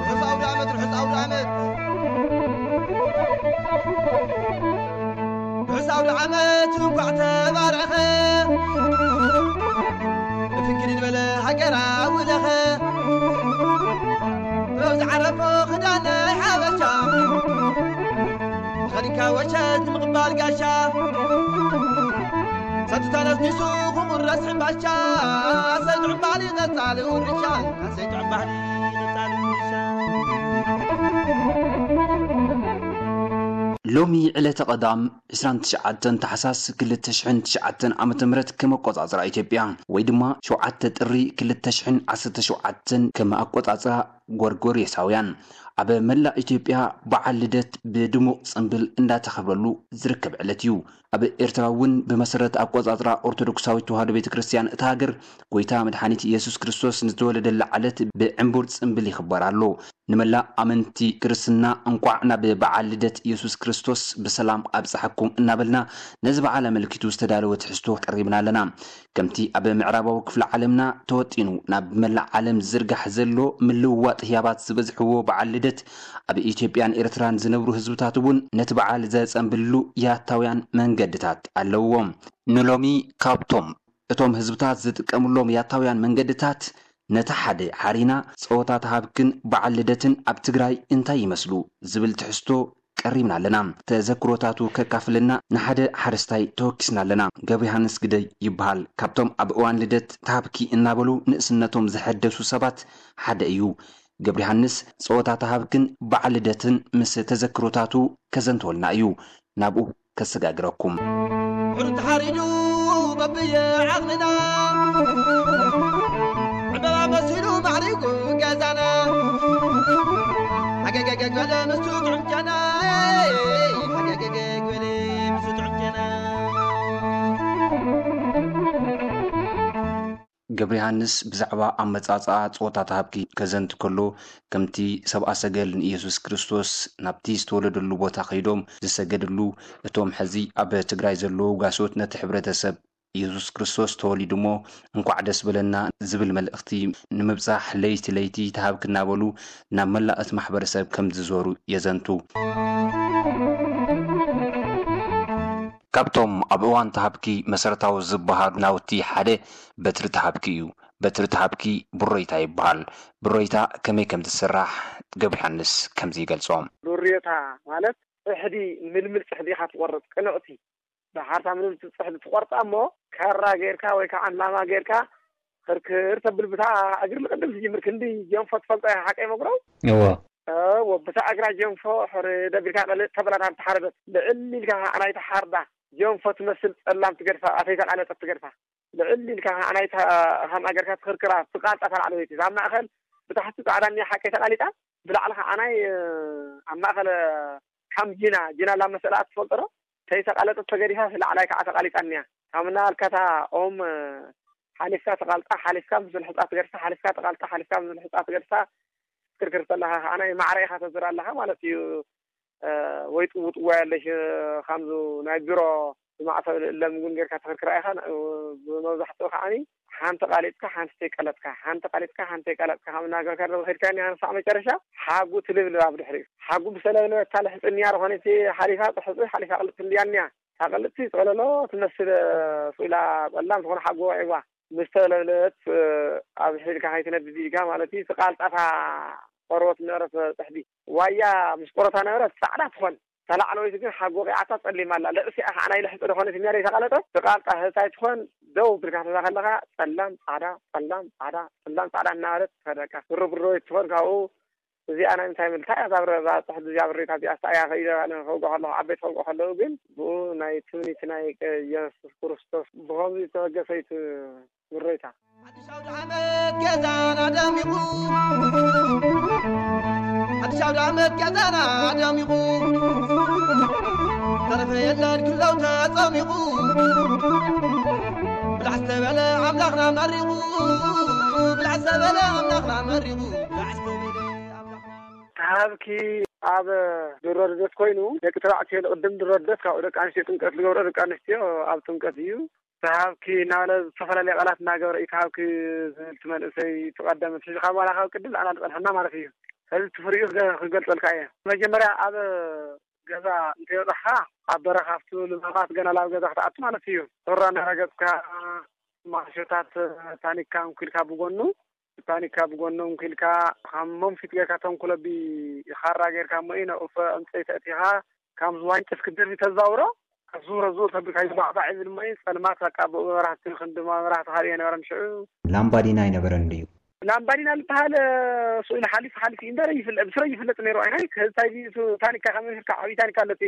ርሑስ ኣውደ ዓመት፣ ርሑስ ኣውደ ዓመት። ርሑስ ኣውደ ዓመት እንኳዕ ተባረኸ። ብፍንክል ዝበለ ሃገራዊ ለኸ። ጥበብ ዝዓረፎ ክዳን ናይ ሓበሻ። ተኸዲንካ ወሸት ንምቕባል ጋሻ። ሰቱ ተነስኒሱ ክቑረስ ሕምባሻ። ሰይጡ ዕምባሊ ቀጻሊ ውርሻ። ሰይጡ ዕምባሊ ቀጻሊ ውርሻ። ሎሚ ዕለተ ቀዳም ዕስራን ትሽዓተን ታሕሳስ ክልተ ሽሕን ትሽዓተን ዓመተ ምህረት ከም ኣቆጻጽራ ኢትዮጵያ ወይ ድማ ሸውዓተ ጥሪ ክልተ ሽሕን ዓሰርተ ሸውዓተን ከም ኣቆጻጽራ ጎርጎርዮሳውያን ኣብ መላእ ኢትዮጵያ በዓል ልደት ብድሙቕ ጽምብል እንዳተኸብረሉ ዝርከብ ዕለት እዩ። ኣብ ኤርትራ እውን ብመሰረት ኣቆጻጽራ ኦርቶዶክሳዊት ተዋህዶ ቤተ ክርስቲያን እታ ሃገር፣ ጎይታ መድሓኒት ኢየሱስ ክርስቶስ ንዝተወለደላ ዕለት ብዕምቡር ጽምብል ይኽበር ኣሎ። ንመላእ ኣመንቲ ክርስትና እንቋዕ ናብ በዓል ልደት ኢየሱስ ክርስቶስ ብሰላም ኣብጽሓኩም እናበልና፣ ነዚ በዓል ኣመልኪቱ ዝተዳለወ ትሕዝቶ ቀሪብና ኣለና። ከምቲ ኣብ ምዕራባዊ ክፍለ ዓለምና ተወጢኑ ናብ መላእ ዓለም ዝዝርጋሕ ዘሎ ምልውዋጥ ህያባት ዝበዝሕዎ በዓል ልደት፣ ኣብ ኢትዮጵያን ኤርትራን ዝነብሩ ህዝብታት እውን ነቲ በዓል ዘጸንብልሉ ያታውያን መንገድታት ኣለውዎም። ንሎሚ ካብቶም እቶም ህዝብታት ዝጥቀምሎም ያታውያን መንገድታት፣ ነቲ ሓደ ሓሪና ጸወታ ተሃብክን በዓል ልደትን ኣብ ትግራይ እንታይ ይመስሉ ዝብል ትሕዝቶ ቀሪብና ኣለና። ተዘክሮታቱ ከካፍለና ንሓደ ሓረስታይ ተወኪስና ኣለና። ገብረ ዮሃንስ ግደይ ይበሃል። ካብቶም ኣብ እዋን ልደት ተሃብኪ እናበሉ ንእስነቶም ዘሐደሱ ሰባት ሓደ እዩ። ገብረ ዮሃንስ ጸወታ ተሃብክን በዓል ልደትን ምስ ተዘክሮታቱ ከዘንትወልና እዩ። ናብኡ ከሰጋግረኩም። ሕሩድ ተሓሪዱ በብየ ዓቕምና፣ ዕምበባ መሲሉ ማዕሪጉ ገዛና። ሃገገገግ በለ ምስቱ ጥዑም ጨና፣ ሃገገገግ በለ ምስቱ ጥዑም ጨና። ገብረ ዮሃንስ ብዛዕባ ኣመጻጽኣ ጸወታ ተሃብኪ ከዘንቱ ከሎ፣ ከምቲ ሰብኣ ሰገል ንኢየሱስ ክርስቶስ ናብቲ ዝተወለደሉ ቦታ ከይዶም ዝሰገድሉ፣ እቶም ሕዚ ኣብ ትግራይ ዘለዉ ጓሶት ነቲ ሕብረተሰብ ኢየሱስ ክርስቶስ ተወሊዱ እሞ እንኳዕ ደስ በለና ዝብል መልእኽቲ ንምብጻሕ ለይቲ ለይቲ ተሃብኪ እናበሉ ናብ መላእ እቲ ማሕበረሰብ ከም ዝዞሩ የዘንቱ። ካብቶም ኣብ እዋን ተሃብኪ መሰረታዊ ዝበሃሉ ናውቲ ሓደ በትሪ ተሃብኪ እዩ። በትሪ ተሃብኪ ብሮይታ ይበሃል። ብሮይታ ከመይ ከም ትስራሕ ገብረ ዮሃንስ ከምዚ ይገልጾ። ብሮይታ ማለት ጽሕዲ፣ ምልምል ጽሕዲ ኢኻ ትቖርጽ፣ ቅንዕቲ። ብሓርታ ምልምል ጽሕዲ ትቖርጻ እሞ ካራ ጌርካ ወይ ከዓ ላማ ጌርካ ክርክር ተብል፣ ብታ እግሪ ልቕድም ትጅምር። ክንዲ ጀንፎ ትፈልጦ ኢኻ ሓቀይ መጉረው? እዎ። እዎ፣ ብታ እግራ ጀንፎ ሕር ደቢልካ ቀልጥ ተበላት ኣብ ተሓረደት። ልዕል ኢልካ ከዓ ናይታ ሓርዳ ጀንፎ ትመስል ጸላም ትገድፋ፣ ኣተይተቃለጠት ትገድፋ። ልዕል ኢልካ ከዓ ናይታ ሃም ኣገርካ ትኽርክራ፣ ትቃልጣ ተላዕለወይቲ። እዛ ኣብ ማእኸል ብታሕቲ ጻዕዳ እኒኣ ሓቀይ ተቃሊጣ፣ ብላዕሊ ከዓ ናይ፣ ኣብ ማእኸል ከም ጂና፣ ጂና ላመሰላ ትፈልጦ ዶ? ተይተቃለጠት ተገዲፋ፣ ላዕላይ ከዓ ተቃሊጣ እኒኣ። ካብ እናበልካታ ኦም ሓሊፍካ ተቃልጣ፣ ሓሊፍካ ምስ ልሕፃ ትገድፋ፣ ሓሊፍካ ተቃልጣ፣ ሓሊፍካ ምስ ልሕፃ ትገድፋ፣ ትክርክር ተለኻ ከዓ ናይ ማዕረ ኢኻ ተዝር ኣለኻ ማለት እዩ። እ፣ ወይ ጥውጥዋ ያለሽ፣ እ፣ ከምዚ ናይ ቢሮ ብማዕተብ ልእለም እውን ጌርካ ትኽርክራ ኢኻ። እ፣ ብመብዛሕትኡ ከዓኒ ሓንቲ ቃሊጥካ ሓንቲ ተይቀለጥካ፣ ሓንቲ ቃሊጥካ ሓንቲ ተይቀለጥካ ካብ እናገርካ ዶ ኸድካ እኒኣ ንሳዕ መጨረሻ ሓጉ ትልብልብ ኣብ ድሕሪኡ። ሓጉ ብሰለብለበታ ልሕፅንያ ዝኾነ እቲ ሓሊፋ ጥሕፂ ሓሊፋ ቅልጥ ትልያ እኒኣ። ታቐልጥቲ ጸለሎ ትመስል፣ እ፣ ስኢላ ጸላም ዝኾነ ሓጎ ወዒዋ። ምስ ተለብለበት፣ እ፣ ኣብ ሒድካ ከይትነድድ ኢልካ ማለት እዩ። ትቃልጣታ ቆርበት ነበረት ጽሕዲ። ዋያ ምስ ቆረታ ነበረት ጻዕዳ ትኾን። ተላዕለወይቲ ግን ሓጎ ቂዓታ ጸሊማ ኣላ። ልዕሲኣ ከዓ ናይ ልሕጺ ዝኾነት እኛ ዘይተቃለጠት ትቃልጣ ህታይ ትኾን። ደው ብልካ ትዛ ከለኻ ጸላም ጻዕዳ፣ ጸላም ጻዕዳ፣ ጸላም ጻዕዳ እናበለት ትኸደካ። ብሮ ብሮ ትኾን ካብኡ እዚኣ ናይ ምንታይ ምልካ እያ? እዛ ብረ-፣ እዛ ጽሕዲ እዚኣ ብሬታ እዚኣ ስታ እያ ከይደ ኣነ ከውግዖ ከለኹ፣ ዓበይቲ ከውግዖ ከለዉ ግን ብኡ ናይ ትምኒት ናይ ቀ-፣ የሱስ ክርስቶስ ብኸምዚ ዝተበገሰ እዩ እቲ ብሬታ። ሓድሽ ኣውደ ዓመት ገዛና ደሚቑ፣ ሓድሽ ኣውደ ዓመት ገዛና ደሚቑ፣ ተረፈ የለን ክለው ተጸሚቑ፣ ብላዕ ዝተበለ ኣምላኽና መሪቑ፣ ብላዕ ዝተበለ ኣምላኽና መሪቑ። ተሃብኪ ኣብ ድሮ ልደት ኮይኑ፣ ደቂ ተባዕትዮ ንቅድም ድሮ ልደት፣ ካብኡ ደቂ ኣንስትዮ ጥምቀት ዝገብሮ፣ ደቂ ኣንስትዮ ኣብ ጥምቀት እዩ። ተሃብኪ እናበለ ዝተፈላለየ ቃላት እናገበረ እዩ ተሃብኪ ዝብል እቲ መንእሰይ እቲ ቀደም እቲ ሕጂ ካብ ዋላ ካብ ቅድም ንኣና ዝጸንሐና ማለት እዩ። ሕዚ እቲ ፍሪኡ ክገ- ክገልጸልካ እየ። መጀመርያ ኣብ ገዛ እንተይወጻኻ ኣብ በረኻ ኣብቲ ልማማት ገና ናብ ገዛ ክትኣቱ ማለት እዩ። ሑራ እናረገጽካ ማዕሾታት ታኒካ እንኩልካ ብጎኑ ታኒካ ብጎኑ እንኩልካ ከም መንፊት ጌርካ ተንኩለቢ ካራ ጌርካ እሞ እዩ ነኡፈ ዕንፀይቲ ኣእቲኻ ካብ ዝዋንጭፍ ክድርቢ ተዛውሮ ዙረ ዙር ተብልካ ይባዕባዕ ይብል እሞ እዩ ጸልማት በቃ ብኡ መብራህቲ ክንዲ መብራህቲ ካልእ የነበረን ሽዑ። ላምባዲና ኣይነበረን ድዩ? ላምባዲና ዝበሃል ስኡ ኢሉ ሓሊፉ ሓሊፉ እዩ እምበር ይፍለጥ ብስረ ይፍለጥ ነይሩ ኣይናይ ከዝታይ ታኒካ ካብ መንፊትካ ዓብዪ ታኒካ ኣለቲ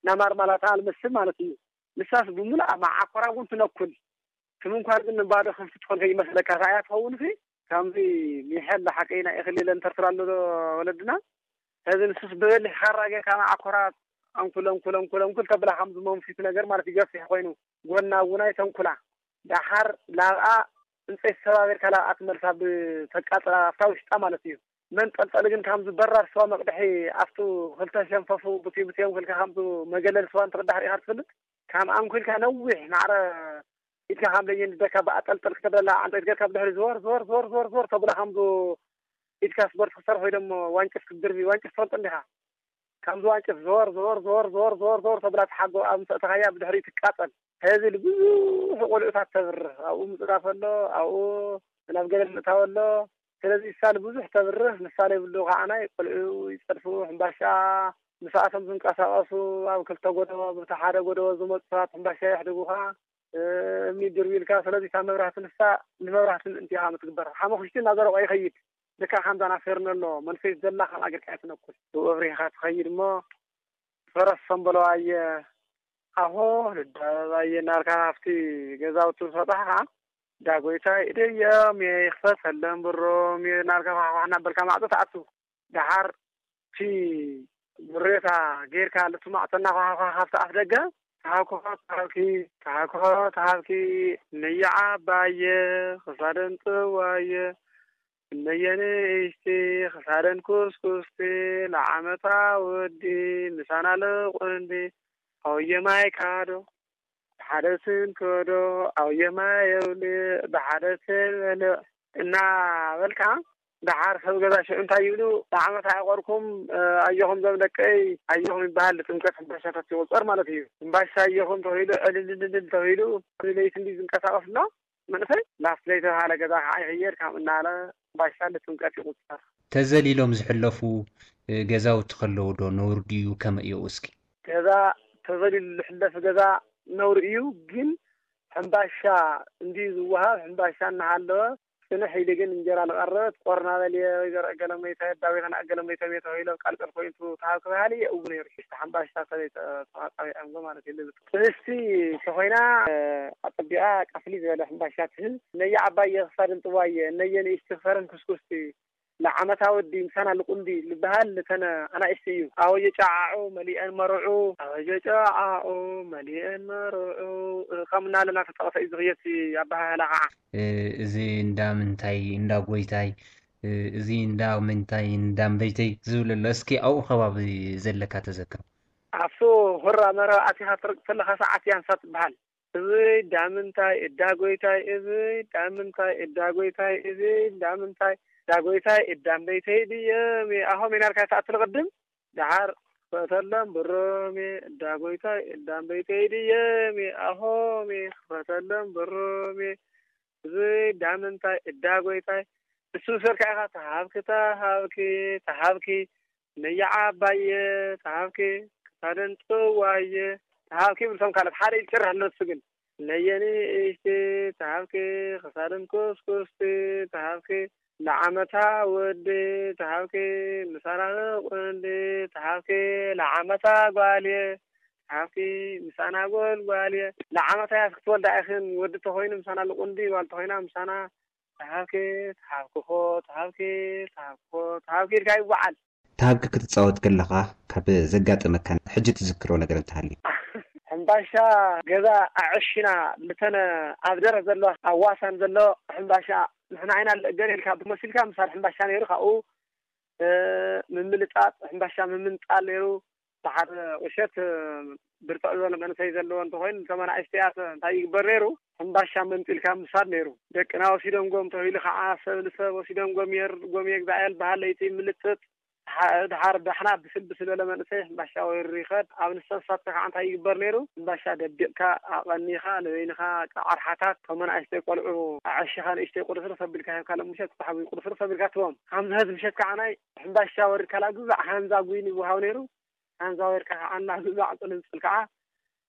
ናማር ማላታ ልመስል ማለት እዩ። ንሳስ ብምሉኣ መዓኮራ እውን ትነኩል። እቲ ምንኳር ግን ንባዶ ከፍቲ ትኾን ከይመስለካ፣ እታ እያ ትኸውን። እቲ ከምዚ ሚሐል ሓቀይና እኽሊ ኢለን ተርትራ ኣሎ ዶ ወለድና። ሕዚ ንሱስ ብበሊሕ ካራ ጌርካ መዓኮራ ኣንኩል ኣንኩል ኣንኩል ኣንኩል ተብላ ከምዚ መንፊት ነገር ማለት ይገፍሕ ኮይኑ ጎና እውን ኣይተንኩላ። ደሓር ላብኣ እንፀይ ሰባቢርካ ላብኣ ትመልሳ ብተቃፅላ ኣብታ ውሽጣ ማለት እዩ። መንጠልጠሊ ግን ከምዚ በራድ ስዋ መቅድሒ ኣብቱ ክልተ ሸንፈፉ ብትዩ ብትዮም ክልካ ከምዚ መገለል ስዋ እንትቅዳሕ ሪኢኻ ትፈልጥ? ከም ኣንኩልካ ነዊሕ ማዕረ ኢድካ ከም ለየን ደካ ብኣጠልጠል ክተብለላ ዓንጠይት ገርካ ብድሕሪ ዝወር ዝወር ዝወር ዝወር ዝወር ተብሎ ከምዚ ኢድካ ስፖርት ክሰርሕ ወይ ደሞ ዋንጭፍ ክትድርቢ ዋንጭፍ ትፈልጦ እንዲኻ? ከምዚ ዋንጭፍ ዞር ዞር ዞር ዞር ዞር ዞር ተብላ ትሓጎ ኣብ ምሰእተኻያ ብድሕሪኡ ትቃጠል። ሕዚ ብዙሕ ቆልዑታት ተብርህ ኣብኡ ምፅዳፍ ኣሎ ኣብኡ ናብ ገደል ምእታው ኣሎ። ስለዚ እሳ ንብዙሕ ተብርህ ንሳ ዘይብሉ ከዓናይ ቆልዑ ይፀድፉ ሕምባሻ ምሳኣቶም ዝንቀሳቀሱ ኣብ ክልተ ጎደቦ ብቲ ሓደ ጎደቦ ዝመፁ ሰባት ሕምባሻ የሕድጉኻ እምኒ ድርቢልካ ስለዚ እታ መብራህቲ ንሳ ንመብራህቲ ምእንቲ ኢኻ ምትግበር ሓመኹሽቲ እናዘረቆ ይኸይድ። ልክዕ ከምዛ ናፈርነሎ መንፈስ ዘላ ከም ኣገርካ ኣይትነኩል ብኡ ኣብሪህኻ ትኸይድ እሞ ፈረስ ሰምበለዋየ ኣሆ ልዳበባየ እናልካ ኣብቲ ገዛውቲ ምስ በጻሕኻ ዳጎይታይ እደዮም እየ ይኽፈተለን ብሮም እየ እናልካ ኳሕኳሕ እናበልካ ማዕጾ ትኣቱ። ደሓር እቲ ብሬታ ጌርካ ልቲ ማዕጾ እናኳሓኳ ካብቲ ኣፍ ደገ ተሃኩኾ ተሃብኪ ተሃኩኾ ተሃብኪ ነየዓባየ ክሳደን ጥዋየ እነየ ንእሽቲ ክሳደን ኩስኩስቲ ለዓመታ ወዲ ምሳና ልቁንዲ ኣውየ ማይ ካዶ ብሓደ ስንከዶ ኣውየ ማይ የውልዕ ብሓደ ስበልዕ እናበልካ ደሓር ሰብ ገዛ ሽዑ እንታይ ይብሉ ንዓመት ኣዕቆርኩም ኣየኹም ዞም ደቀይ ኣየኹም ይበሃል ጥምቀት ሕምባሻታት ይቁፀር ማለት እዩ። ሕምባሻ ኣየኹም ተባሂሉ ዕልልልልል ተባሂሉ ለይቲ እንዲ ዝንቀሳቀስ ኣሎ መንእሰይ ናብቲ ዘይተባሃለ ገዛ ከዓ ይኽየድ ካብ እናለ ባሻ ንጥምቀት ይቁፀር። ተዘሊሎም ዝሕለፉ ገዛውቲ ከለዉ ዶ ነውሪ ድዩ ከመይ እዩ እስኪ? ገዛ ተዘሊሉ ዝሕለፍ ገዛ ነውሪ እዩ ግን ሕምባሻ እንድዩ ዝወሃብ ሕምባሻ እናሃለወ ፅንሕ ኢሉ ግን እንጀራ ዝቐርብ ቆርናበል እየ ወይ ዘርአ ገለመይታ ኣዳዊኸን ኣገለመይቶም እየ ተባሂሎም ቃልቀል ኮይኑ ተሃብ ክበሃል እየ እው ነይሩ ሽሽተ ሓምባሻ ሰበይ ተዋጣቢዖምጎ ማለት እዩ ልብጥ ጥብስቲ ተኾይና ኣፀቢቓ ቀፍሊ ዝበለ ሕምባሻ ትህብ እነየ ዓባየ ክሳድን ጥዋየ እነየ ንእሽቲ ክሳድን ኩስኩስቲ ንዓመታ ወዲ ምሳና ልቁንዲ ልበሃል ልተነ ኣናእሽቲ እዩ ኣወጀ ጨዓዑ መሊአን መርዑ ኣወጀ ጨዓዑ መሊአን መርዑ ከም እናለና ተጠቐሰ እዩ ዝኽየሲ ኣበሃህላ ከዓ እዚ እንዳ ምንታይ እንዳ ጎይታይ እዚ እንዳ ምንታይ እንዳ ምበይተይ ዝብል ኣሎ እስኪ ኣብኡ ከባቢ ዘለካ ተዘክር ኣብሱ ሁራ መረብ ኣቲኻ ትርቅ ተለኻ ሰዓት ያንሳ ትበሃል እብይ ዳምንታይ እዳ ጎይታይ እብይ ዳምንታይ እዳ ጎይታይ እብይ ዳምንታይ እዳ ጎይታይ እዳምበይተይ ድየም ኣሆም ኢናልካ ተኣትል ቅድም ደሓር ክፈተሎም ብሮሜ እዳ ጎይታይ እዳምበይተይ ድየም ኣሆሜ ክፈተሎም ብሮሜ እብይ ዳምንታይ እዳ ጎይታይ እሱ ስርካ ኢኻ ተሃብኪ ተሃብኪ ተሃብኪ ነያ ዓባየ ተሃብኪ ክሳደን ጥዋየ ተሃብኪ ይብል እቶም ካልኦት ሓደ ኢሉ ጭርሕ ኣሎ ንሱ ግን ነየ ንእሽቲ ተሃብኪ ክሳደን ኩስኩስቲ ተሃብኪ ለዓመታ ወዲ ተሃብኪ ምሳና ቁንዲ ተሃብኪ ለዓመታ ጓልየ ተሃብኪ ምሳና ጎልጓልየ ለዓመታ ያስ ክትወልዳ ኢኽን ወዲ ተኾይኑ ምሳና ልቁንዲ ጓል ተኾይና ምሳና ተሃብኪ ተሃብክኾ ተሃብኪ ተሃብክኾ ተሃብኪ ኢልካ ይወዓል። ተሃብኪ ክትጻወት ከለኻ ካብ ዘጋጠመካ ሕጂ ትዝክሮ ነገር እንተሃልዩ? ሕምባሻ ገዛ ኣዕሽና ልተነ ኣብ ደረት ዘሎ ኣብ ዋሳን ዘሎ ሕምባሻ ንሕና ዓይና ገለ ኢልካ ብመሲልካ ምሳድ ሕምባሻ ነይሩ ካብኡ ምምልጣጥ ሕምባሻ ምምንጣል ነይሩ ብሓደ ቁሸት ብርትዕ ዝበለ መንእሰይ ዘለዎ እንተኾይኑ፣ ንተመናእሽተያት እንታይ ይግበር ነይሩ? ሕምባሻ መንጢልካ ምሳድ ነይሩ። ደቅና ወሲዶም ጎም ተባሂሉ ከዓ፣ ሰብ ንሰብ ወሲዶም ጎም የር-፣ ጎም የግዛእ የልበሃል፣ ለይቲ ምልጥጥ። ድሓ-፣ ድሓር ዳሕና ብስል ብስል በለ መንእሰይ ሕምባሻ ወይሩ ይኸድ። ኣብ ንሰብ ሳትካ ከዓ እንታይ ይግበር ነይሩ? ሕምባሻ ደቢቕካ፣ ኣቐኒኻ፣ ንበይንኻ፣ ቃ-፣ ዓርሓታት፣ ከም ኣናእሽተይ ቆልዑ ኣዐሺኻ ንእሽተይ ቁርስርስ ኣቢልካ ሂብካ፣ ለምሸት ዝተሓብኡ ቁርስርስ ኣቢልካ ትቦም። ከምዚ ሀዚ ምሸት ከዓ ናይ ሕምባሻ ወሪድካ ላግዛዕ ሃንዛ ጉይን ይወሃብ ነይሩ። ሃንዛ ወሪድካ ከዓ እናግዛዕ ጽልምጽል ከዓ፣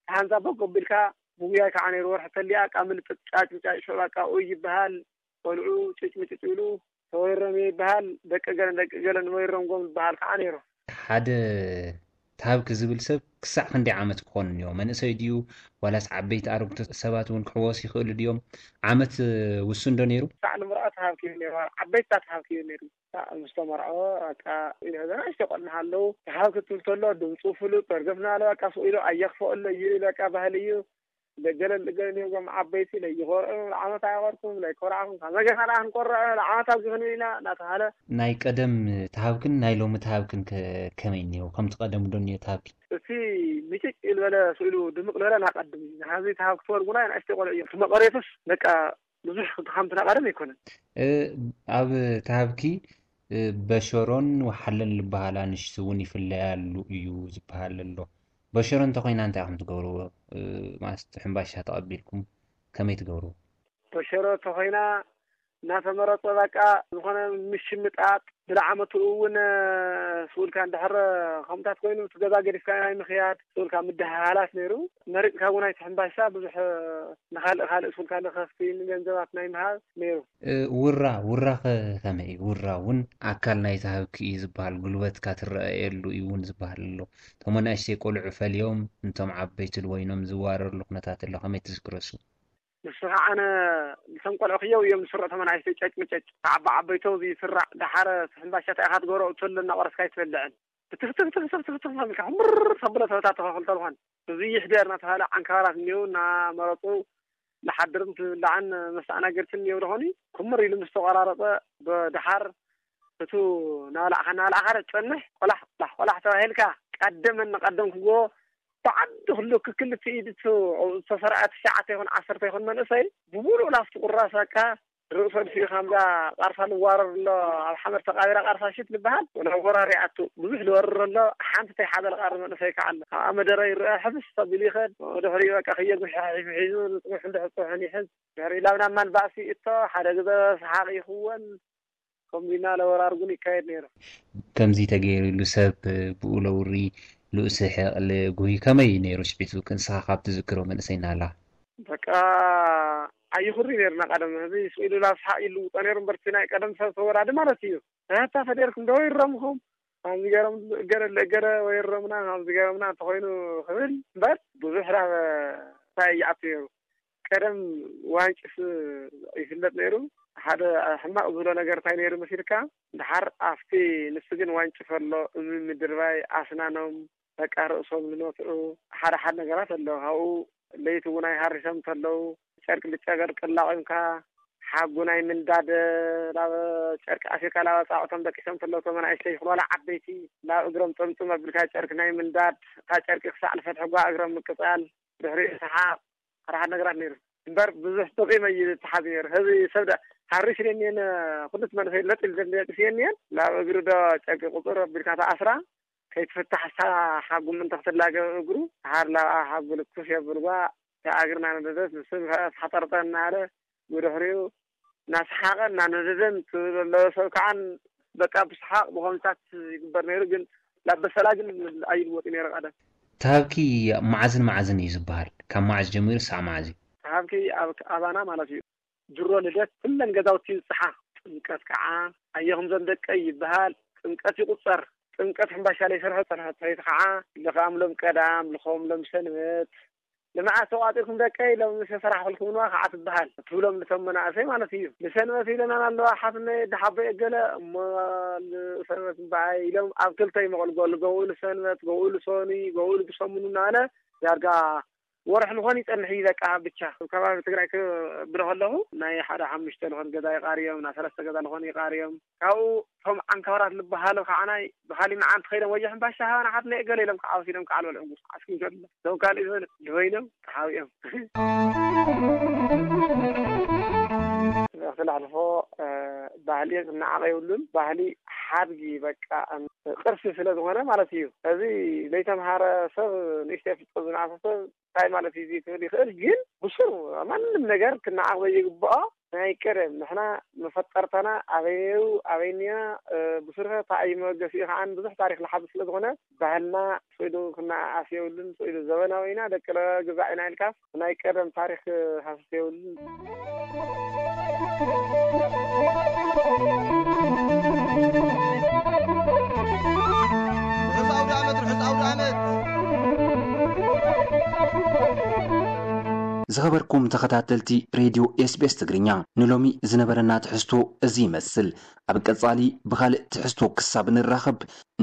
ሃንዛ በጎ ኣቢልካ፣ ብጉያይ ከዓ ነይሩ። ወርሒ ተሊኣ፣ ቃ ምልጥጥ ጫጭ ምጫጭ ሸባቃ ኡይ ይበሃል። ቆልዑ ጭጭ ምጭጭ ይብሉ። ተወይሮም ይበሃል። ደቂ ገለን ደቂ ገለን ወይሮም ጎም ዝበሃል ከዓ ነይሩ። ሓደ ተሃብኪ ዝብል ሰብ ክሳዕ ክንደይ ዓመት ክኾን እኒኦ? መንእሰይ ድዩ? ዋላስ ዓበይቲ ኣረግቶ ሰባት እውን ክሕወስ ይኽእሉ ድዮም? ዓመት ውሱን ዶ ነይሩ? ክሳዕ ንምርኣት ተሃብኪ እዩ ነይሩ። ዓበይትታት ተሃብኪ እዩ ነይሩ። ክሳዕ ምስ ተመርዖ፣ በቃ፣ ኢሉ፣ እዘን ኣሽቶ ቆልዑ ኣለዉ። ተሃብኪ ትብል ተሎ፣ ድምፁ ፍሉጥ፣ በርገፍ እናበለ፣ በቃ፣ ስቕ ኢሉ፣ ኣየኽፈአሎ እዩ፣ በቃ፣ ባህሊ እዩ። ደገለ ልገለ እዮም ዓበይቲ፣ ለይኾርዑ፣ ለዓመት ኣይኾርኩም፣ ለይኮርዓኹም፣ ካብ መገና ደኣ ክንኮርዕ፣ ለዓመት ኣብዚ ክንብል ኢና፣ እናተባሃለ። ናይ ቀደም ተሃብክን ናይ ሎሚ ተሃብክን ከ ከመይ እኒኦ? ከምቲ ቀደም ዶ እኒኦ ተሃብኪ? እቲ ምጭጭ ዝበለ ስኢሉ ድምቕ ዝበለ ናቀድም እዩ። ናዚ ተሃብኪ ትወርጉና ንኣሽተይ ቆልዑ እዮም። እቲ መቐሬቱስ በቃ ብዙሕ ከምቲ ናቀደም ኣይኮነን። እ፣ ኣብ ተሃብኪ፣ እ፣ በሸሮን ወሓለን ዝበሃላ ኣንሽቲ እውን ይፍለያሉ እዩ ዝበሃል ኣሎ። በሸሮ እንተኾይና እንታይ ኢኹም ትገብርዎ? እ፣ ማለት ሕምባሻ ተቐቢልኩም ከመይ ትገብርዎ? በሸሮ እንተኾይና እናተመረጸ በቃ ዝኾነ ምሽምጣጥ፣ ብለዓመትኡ እውን ስኡልካ እንድሕር ከምታት ኮይኑ እቲ ገዛ ገዲፍካ ናይ ምኽያድ ስኡልካ ምድሃሃላት ነይሩ። መሪጽካ እውን ኣይትሕምባሻ ብዙሕ ንኻልእ ካልእ ስኡልካ ንኸፍቲ ንገንዘባት ናይ ምሃብ ነይሩ። እ፣ ውራ፣ ውራ ኸ ከመይ እዩ? ውራ እውን ኣካል ናይቲ ሃብኪ እዩ ዝበሃል፣ ጉልበትካ ትረኣየሉ እዩ እውን ዝበሃል ኣሎ። እቶም ኣናእሽተይ ቆልዑ ፈልዮም፣ እንቶም ዓበይቲ ልወይኖም ዝዋረርሉ ኩነታት ኣሎ። ከመይ ትዝክሮ እሱ? ንሱ ከዓ ነ-፣ ንሶም ቆልዑ ክየው እዮም ዝስርዑ፣ እቶም ኣናእሽተይ ጨጭ ምጨጭ። ዓባ ዓበይቶ እዚ ይስራዕ፣ ደሓረ ሕምባሻ እንታይ ኢኻ ትገብሮ? እቶ ኣሎ እናቆረስካ ኣይትበልዕን። ብትኽ ትኽ ትኽ ትኽ ትኽ ትኽ ኢልካ፣ ምር ተብሎ ተበታተኸ ክልተ ልኾን። እዚ ይሕደር እናተባሃለ ዓንካራት እኒአው እናመረፁ፣ ንሓድርን ትብላዕን መስተኣናገድትን እኒአው ደኾኒ። ክምር ኢሉ ምስ ተቆራረፀ፣ ብድሓር እቱ ናብላዕኻ፣ ናብላዕኻ ዶ ትጸንሕ? ቆላሕ፣ ቆላሕ፣ ቆላሕ ተባሂልካ፣ ቀደመን ንቀደም ክጎ፣ ብዓዲ ኩሉ ክክልተ ኢድ እቱ ዝተሰርዐ ትሽዓተ ይኹን ዓሰርተ ይኹን መንእሰይ፣ ብሙሉእ ናብቲ ቁራስ በቃ፣ ርእሶ ድፊኡ ከምዛ ቃርሳ ልዋረር ኣሎ፣ ኣብ ሓመድ ተቓቢራ ቃርሳ ሽት ልበሃል፣ ናብ ወራሪ ኣቱ ብዙሕ ልወርር ኣሎ፣ ሓንቲ ተይሓዘ ልቐሪ መንእሰይ ከዓለ። ኣብኣ መደረ ይረአ፣ ሕብስ ኣቢሉ ይኸድ፣ ድሕሪኡ በቃ ከየጉሕሕ ሒዙ፣ ንጽጉሕ እንድሕር ጽሑን ይሕዝ። ድሕሪኡ ላብ ናብ ማን ባእሲ እቶ፣ ሓደ ግዘ ሰሓቕ ይኽወን፣ ከምዚ እናለ ወራር እውን ይካየድ ነይሩ። ከምዚ ተገይሩሉ ሰብ ብኡ ለውሪ፣ ልኡሰ ሕቕሊ ጉሂ ከመይ ነይሩ ስዒቱ? ክንስኻ ካብ ትዝክሮ መንእሰይ ናላ። በቃ ኣይኹሪ ነይርና ቀደም። እዚ ስኢሉ ናብ ሰሓቕ ይልውጦ ነይሩ እምበር፣ እቲ ናይ ቀደም ሰብ ተወላዲ ማለት እዩ። ኣታ ፈዴርኩም ዶ ይረምኹም? ከምዚ ገይሮም እገለ እገለ ወይ ይረምና፣ ከምዚ ገይሮምና እንተኾይኑ ክብል እምበር፣ ብዙሕ ናብ እንታይ ይኣቱ ነይሩ። ቀደም ዋንጭስ ይፍለጥ ነይሩ። ሓደ ሕማቕ ዝብሎ ነገር እንታይ ነይሩ መሲልካ? ድሓር ኣብቲ ንሱ ግን ዋንጭፍ ኣሎ፣ እምኒ ምድርባይ፣ ኣስናኖም፣ በቃ ርእሶም ዝነትዑ፣ ሓደ ሓደ ነገራት ኣሎ። ካብኡ ለይቲ እውን ኣይሃሪሶም እንተለዉ፣ ጨርቂ ብጨርቂ ኣላቒምካ፣ ሓጉ ናይ ምንዳድ፣ ናብ ጨርቂ ኣሲርካ፣ ናብ ኣጻብዕቶም ደቂሶም እንተለዉ፣ እቶም ኣናእሽተይ ይኹን ዋላ ዓበይቲ፣ ናብ እግሮም ጥምጥም ኣቢልካ ጨርቂ ናይ ምንዳድ፣ እታ ጨርቂ ክሳዕ ዝፈትሕዋ እግሮም ምቅጻል፣ ድሕሪኡ ሰሓቕ፣ ሓደ ሓደ ነገራት ነይሩ። እምበር ብዙሕ ጥቒም እዩ ዝትሓዝ ነይሩ። ሕዚ ሰብ ደ-፣ ሓሪስ የኒየን፣ ኩሉ እቲ መንእሰይ ለጥ ኢሉ ደንደቂስ የኒየን፣ ናብ እግሪ ዶ ጨርቂ ቁጽር ኣቢልካ ተኣስራ፣ ከይትፍታሕ እሳ ሓጉም እንተ ክትላገብ እግሩ፣ ሃር ላብኣ ሓጉ ልኩስ የብልዋ፣ እታ እግርና ነደደት፣ ንሱ ንፈ-፣ ተሓጠርጠ እናበለ፣ ብድሕሪኡ እናሰሓቐ እናነደደን ትብል ኣለዎ። ሰብ ከዓን በቃ ብሰሓቕ ብኾምታት ይግበር ነይሩ፣ ግን ናብ በሰላ ግን ኣይልወጥ ነይሩ ቀደም። ተሃብኪ መዓዝን መዓዝን እዩ ዝበሃል? ካብ መዓዝ ጀሚሩ ሳዕ መዓዝ እዩ? ተሃብኪ ኣብ ኣባና ማለት እዩ። ድሮ ልደት ኩለን ገዛውቲ ይብጽሓ። ጥምቀት ከዓ ኣየ ከምዞም ደቀይ ይበሃል። ጥምቀት ይቁጸር። ጥምቀት ሕምባሻ ለይሰርሐ ጸንሐት ሰበይቲ ከዓ ልኽኣም ሎም ቀዳም፣ ልኸም ሎም ሰንበት። ንመዓስ ተቋጺርኩም ደቀይ? ሎም ምስ ሰራሕኩልኩምንዋ ከዓ ትበሃል። ትብሎም ንቶም መናእሰይ ማለት እዩ። ንሰንበት ኢለናን ኣለዋ ሓትነይ፣ ደሓበይ እገለ እሞ ንሰንበት እምበኣይ ኢሎም ኣብ ክልተ ይመቐሉ። ገሉ ገውኡ ንሰንበት፣ ገውኡ ንሶኒ፣ ገውኡ ብሰሙኑ እናበለ ዳርጋ ወርሒ ልኾን ይጸንሕ እዩ። በቃ ብቻ ኣብ ከባቢ ትግራይ ክብሎ ከለኹ ናይ ሓደ ሓሙሽተ ልኾን ገዛ ይቓርዮም፣ ናይ ሰለስተ ገዛ ልኾን ይቓርዮም። ካብኡ እቶም ዓንካራት ዝበሃሉ ከዓናይ ብኻሊ መዓልቲ ከይዶም ወየ ሕምባሻ ሃባና ሓትና እገለ ኢሎም ክዓወት ኢሎም ክዓልበልዑ ዓስኪ ዘሎ እቶም ካልእ ዝበለ ድበይሎም ተሓቢኦም። ክላሕልፎ ባህሊ ክነዓቐ የብሉን። ባህሊ ሓድጊ በቃ ቅርሲ ስለ ዝኾነ ማለት እዩ። እዚ ዘይተምሃረ ሰብ ንእሽተይ ፍልጠት ዝነኣሰ ሰብ እንታይ ማለት እዩ ክብል ይኽእል፣ ግን ብሱር ማንም ነገር ክነዓቕ ዘይግብኦ ናይ ቀደም ንሕና መፈጠርታና ኣበየው ኣበይንያ ብሱርኸ እንታይ እዩ መበገሲኡ ከዓ ብዙሕ ታሪክ ዝሓዝ ስለ ዝኾነ ባህልና ስኢሉ ክነኣኣስ የብሉን። ስኢሉ ዘበናዊ ኢና ደቂ ግዛዕ ኢና ኢልካስ ናይ ቀደም ታሪክ ሃስስ የብሉን። ርሑስ ኣውደ ዓመት፣ ርሑስ ኣውደ ዓመት። ዝኸበርኩም ተኸታተልቲ ሬድዮ ኤስቢኤስ ትግርኛ፣ ንሎሚ ዝነበረና ትሕዝቶ እዚ ይመስል። ኣብ ቀጻሊ ብኻልእ ትሕዝቶ ክሳብ ንራኸብ፣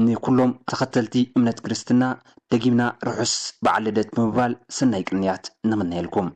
ንኩሎም ተኸተልቲ እምነት ክርስትና ደጊምና ርሑስ በዓል ልደት ብምባል ሰናይ ቅንያት ንምነየልኩም።